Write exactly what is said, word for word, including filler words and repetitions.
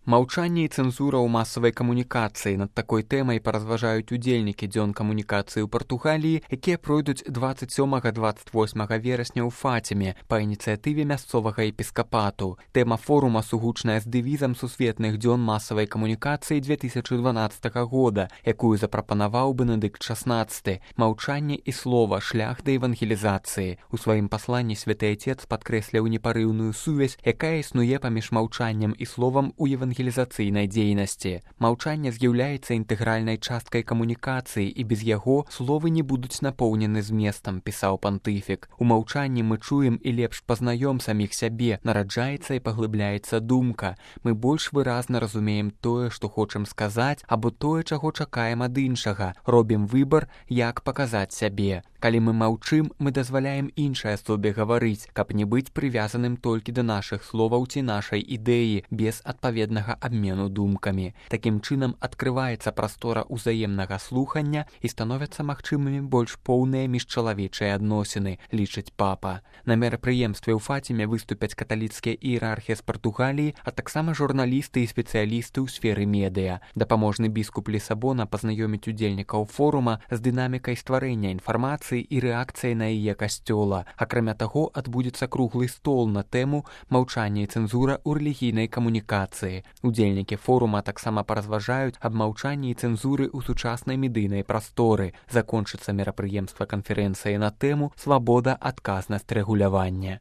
Маўчанне і цэнзура ў масавай камунікацыі. Над такой тэмай паразважаюць удзельнікі дзён камунікацыі ў Партугаліі, якія пройдуць дваццаць сёмага - дваццаць восьмага верасня ў Фаціме па ініцыятыве мясцовага епіскапату. Тэма форума сугучная з дэвізам сусветных дзён масавай камунікацыі дзве тысячы дванаццатага года, якую запрапанаваў Бенедыкт шаснаццаты. Маўчанне і слова, шлях да евангелізацыі. У сваім пасланні святы Айцец падкрэсляў непарыўную сувязь, якая існуе паміж маўчаннем і словам у евангелізацыі. евангелізацыйнай дзейнасці. Маўчанне з'яўляецца інтэгральнай часткай камунікацыі, і без яго словы не будуць напоўнены зместам, пісаў пантыфік. У маўчанні мы чуем і лепш пазнаём саміх сябе, нараджаецца і паглыбляецца думка. Мы больш выразна разумеем тое, што хочам сказаць, або тое, чаго чакаем ад іншага. Робім выбар, як паказаць сябе. Калі мы маўчым, мы дазваляем іншай асобе гаварыць, каб не быць прывязаным толькі да нашых словаў ці нашай ідэі, без адпаведнага абмену думкамі. Такім чынам адкрываецца прастора ўзаемнага слухання і становяцца магчымымі больш поўныя міжчалавечыя адносіны, лічыць папа. На мерапрыемстве ў Фаціме выступяць каталіцкія іерархі з Партугаліі, а таксама журналісты і спецыялісты ў сферы медыа. Дапаможны біскуп Лісабона пазнаёміць удзельнікаў форума з дынамікай стварэння інфармацыі і рэакцыяй на яе касцёла. Акрамя таго, адбудзецца круглы стол на тэму «Маўчанне і цэнзура ў рэлігійнай камунікацыі». Удзельнікі форума таксама паразважаюць аб маўчанні і цэнзуры ў сучаснай медыйнай прасторы. Закончыцца мерапрыемства канферэнцыі на тэму «Свабода, адказнасць, рэгуляванне».